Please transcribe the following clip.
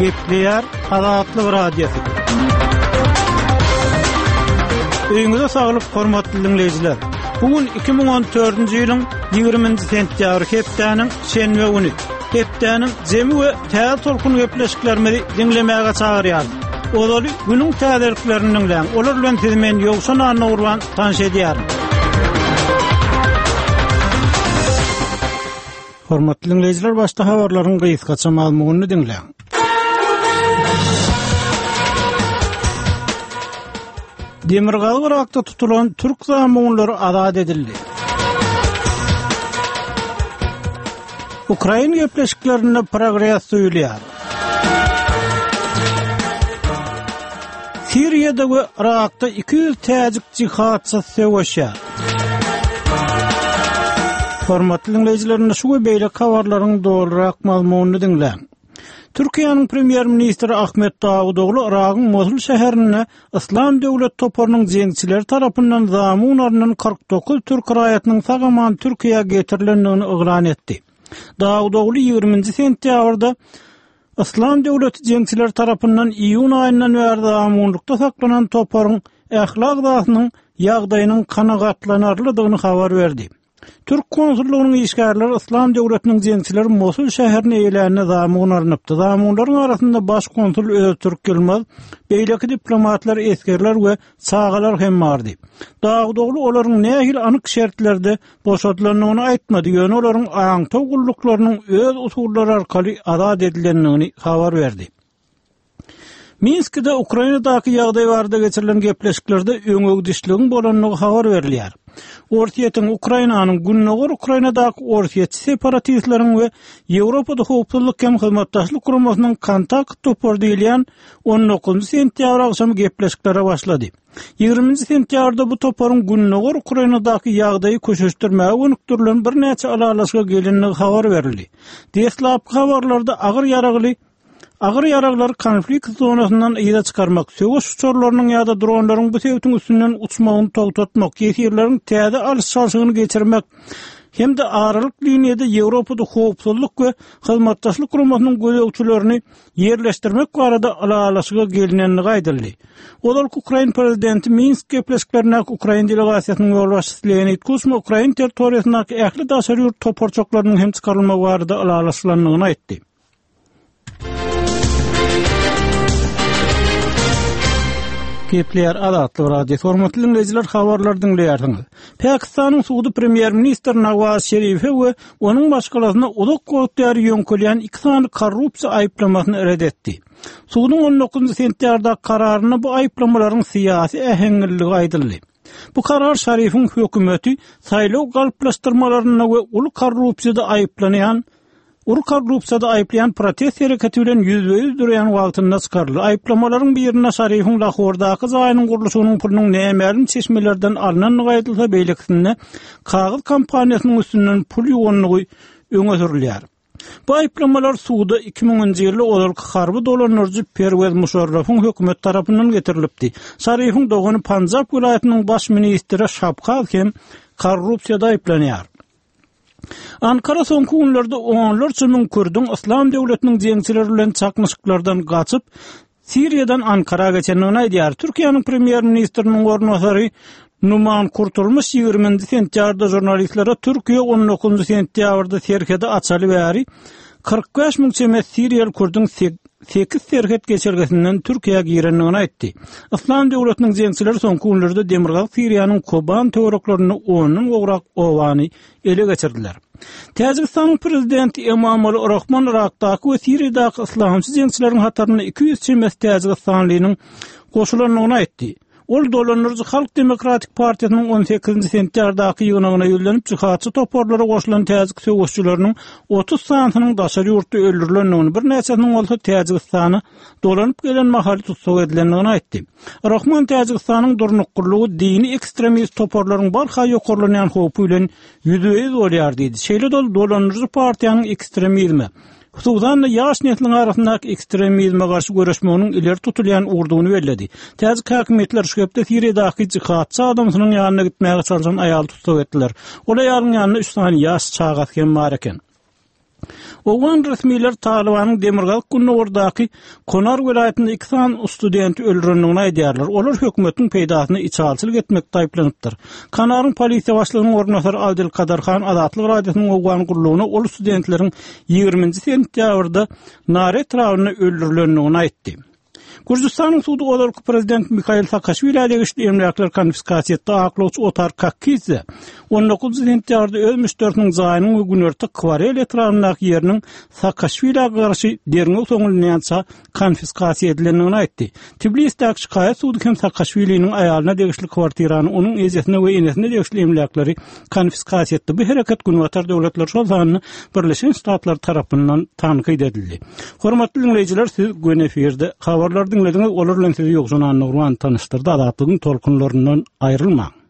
Gepleýär Azatlyk Radiosy. Öýüňize saglyk, hormatly diňleýjiler. Bu gün 2014-nji ýylyň 20-nji sentýabry hepdäniň şenbe güni. Hepdäniň jemi we täze tolkun gepleşiklerimizi diňlemäge çagyrýarys. Ozaly günüň täzeliklerini diňläň. Olar bilen sizi men Ýowşan Annagurban tanyş edýärin. Hormatly diňleýjiler, başda habarlaryň gysgaça mazmunyny diňläň. Demirgazyk Yrakda tutulan türk zamunlary azat edildi. Ukrain gepleşiklerinde progres duýulýar. Siriýada we Yrakda 200 täjik jihadçysy söweşýär. Hormatly diňleýjiler, indi şu we beýleki habarlaryň dolurak mazmunyny diňläň. Türkiýäniň premýer-ministri Ahmet Dawutoglu Yragyň Mosul şäherinde Yslam döwlet toparynyň jeňçileri tarapyndan zamun alnan 49 türk raýatynyň sag-aman Türkiýä getirilendigini yglan etdi. Dawutoglu 20-nji sentýabrda Yslam döwleti jeňçileri tarapyndan iýun aýyndan bäri zamunlykda saklanan toparyň ähli agzasynyň ýagdaýynyň kanagatlanarlydygyny habar berdi. Türk konsullygynyň işgärleri Yslam döwletiniň jeňçileri Mosul şäherini eýelände zamun alnypdy. Zamunlaryň arasynda baş konsul Öztürk Ýylmaz, beýleki diplomatlar, esgerler we çagalar hem bardy. Dawutoglu olaryň nähili anyk şertlerde boşadylandygyny aýtmady, ýöne olaryň aňtaw gulluklarynyň öz usullary arkaly azat edilendigini habar berdi. Minskide Ukrainadaky ýagdaý barada geçirilen gepleşiklerde öňegidişligiň bolandygy habar berilýär. Orsýetiň Ukrainanyň Gündogar Ukrainadaky orsýetçi separatistleriň we Ýewropada Howpsuzlyk hem Hyzmatdaşlyk Guramasynyň kontakt topary diýilýän on dokuzynjy sentýabr agşamy gepleşiklere başlady. Ýigriminji sentýabrda bu toparyň Gündogar Ukrainadaky ýagdaýy köşeşdirmäge gönükdirilen birnäçe ylalaşyga gelendigi habar berildi. Deslapky habarlarda agyr ýaragly Agyr ýaraglary konflikt zonasyndan yza çykarmak, söweş uçarlarynyň ýa-da dronlaryň bu sebitiň üstünden uçmagyny togtatmak, ýesirleriň täze alyş-çalşygyny geçirmek hem-de aralyk liniýada Ýewropada Howpsuzlyk we Hyzmatdaşlyk Guramasynyň gözegçilerini ýerleşdirmek barada ylalaşyga gelnendigi aýdyldy. Ozalky ukrain prezidenti Minsk gepleşiklerindäki ukrain delegasiýasynyň ýolbaşçysy Leonid Kuçma ukrain territoriýasyndaky ähli daşary ýurt toparçaklarynyň hem çykarylmagy barada ylalaşylandygyny aýtdy. Gepleýär Azatlyk Radiosy. Hormatly diňleýjiler, habarlary diňleýärsiňiz. Pakistanyň sudy premýer-ministr Nawaz Şerife we onuň maşgalasyna uzak wagt bäri ýöňkelýän iki sany korrupsiýa aýyplamasyny ret etdi. Suduň 19 sentýabrdaky kararynda bu aýyplamalaryň syýasy äheňliligi aýdyldy. Bu karar Şarifiň hökümeti saýlaw galplaşdyrmalarynda we uly korrupsiýada aýyplanýan Uly korrupsiýada aýyplaýan protest hereketi bilen ýüzbe-ýüz durýan wagtynda çykaryldy. Aýyplamalaryň birinde Şarifiň Lahordaky jaýynyň gurluşygynyň pulunyň nämälim çeşmelerden alnandygy aýdylsa, beýlekisinde kagyz kompaniýasynyň üstünden pul ýuwandygy öňe sürülýär. Bu aýyplamalar suda 2000-nji ýylda ozalky harby dolandyryjy Perwez Muşarrafyň hökümeti tarapyndan getirilipdi. Şarifiň dogany Panjap welaýatynyň baş ministri Şabkaz hem korrupsiýada aýyplanýar. Ankara soňky günlerde onlarça müň kürdüň Yslam döwletiniň jeňçileri bilen çaknyşyklardan gaçyp, Siriýadan Ankara geçendigini aýdýar. Türkiýäniň premýer-ministriniň orunbasary Numan Kurtulmuş 20-nji sentýabrda žurnalistlere Türkiýe 19-njy sentýabrda serhedi açaly bäri 45 müň çemesi siriýaly kürdüň sekiz serhet geçelgesinden Türkiýä girendigini aýtdy. Yslam döwletiniň jeňçileri soňky günlerde demirgazyk Siriýanyň Koban töwereklerinde ondan gowrak obany ele geçirdiler. Täjigistanyň prezidenti Emomali Rahmon Yrakdaky we Siriýadaky yslamçy jeňçileriň hatarynda 200 çemesi täjigistanlynyň goşulandygyny aýtdy. Ol dolandyryjy Halk demokratik partiýasynyň on sekizinji sentýabrdaky ýygnagyna ýüzlenip, jihadçy toparlara goşulan täjik söweşçileriniň 30 sanysynyň daşary ýurtda öldürilendigini, birnäçesiniň bolsa Täjigistana dolanyp gelen mahaly tussag edilendigini aýtdy. Rahmon Täjigistanyň durnuklylygy dini ekstremist toparlaryň barha ýokarlanýan howpy bilen ýüzbe-ýüz bolýar diýdi. Şeýle-de ol dolandyryjy partiýanyň ekstremizme, Hususan-da, ýaş nesliň arasyndaky ekstremizme garşy göreşmeginiň ileri tutulýan ugurdygyny belledi. Täjik häkimiýetleri şu hepde Siriýadaky jihadçy adamsynyň ýanyna gitmäge çalşan aýaly tussag etdiler. Ol aýalyň ýanynda üç sany ýaş çagasy hem bar eken. Owgan resmileri Talybanyň demirgazyk-gündogardaky Konar welaýatynda iki sany studenti öldürendigini aýdýarlar. Olar hökümetiň peýdasyna içalyçylyk etmekde aýyplanypdyr. Kanaryň polisiýa başlygynyň orunbasary Adil Kadar Han Azatlyk Radiosynyň owgan gullugyna ol studentleriň ýigriminji sentýabrda Nare etrabynda öldürilendigini aýtdy. Gürjüstanyň sudy ozalky prezident Mihail Saakaşwilä degişli emläkleri konfiskasiýa etdi. Aklawçy Otar Kakkidze 19 sentýabrda öz müşderisiniň jaýynyň we günorta Kwarel etrabyndaky ýeriniň Saakaşwilä garşy derňew soňlanýança konfiskasiýa edilendigini aýtdy. Tbilisdäki şikaýat sudy hem Saakaşwiliniň aýalyna degişli kwartirany, onuň ejesine we enesine degişli emläkleri konfiskasiýa etdi. Bu hereket Günbatar döwletleri, şol sanda Birleşen Ştatlar tarapyndan tankyt edildi. Hormatly diňleýjiler, siz göni efirde habarlary diňlediňiz. Olar bilen sizi Ýowşan Annagurban tanyşdyrdy. Azatlygyň tolkunlaryndan aýrylmaň.